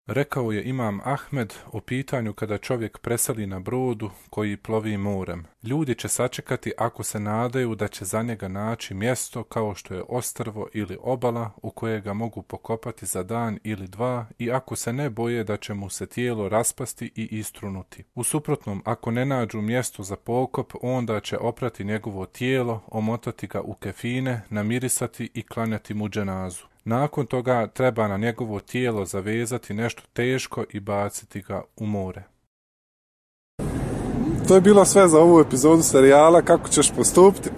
Rekao je Imam Ahmed o pitanju kada čovjek preseli na brodu koji plovi morem. Ljudi će sačekati ako se nadaju da će za njega naći mjesto kao što je ostrvo ili obala u koje ga mogu pokopati za dan ili dva i ako se ne boje da će mu se tijelo raspasti i istrunuti. U suprotnom, ako ne nađu mjesto za pokop, onda će oprati njegovo tijelo, omotati ga u kefine, namirisati i klanjati mu dženazu. Nakon toga treba na njegovo tijelo zavezati nešto teško i baciti ga u more. To je bilo sve za ovu epizodu serijala Kako ćeš postupiti.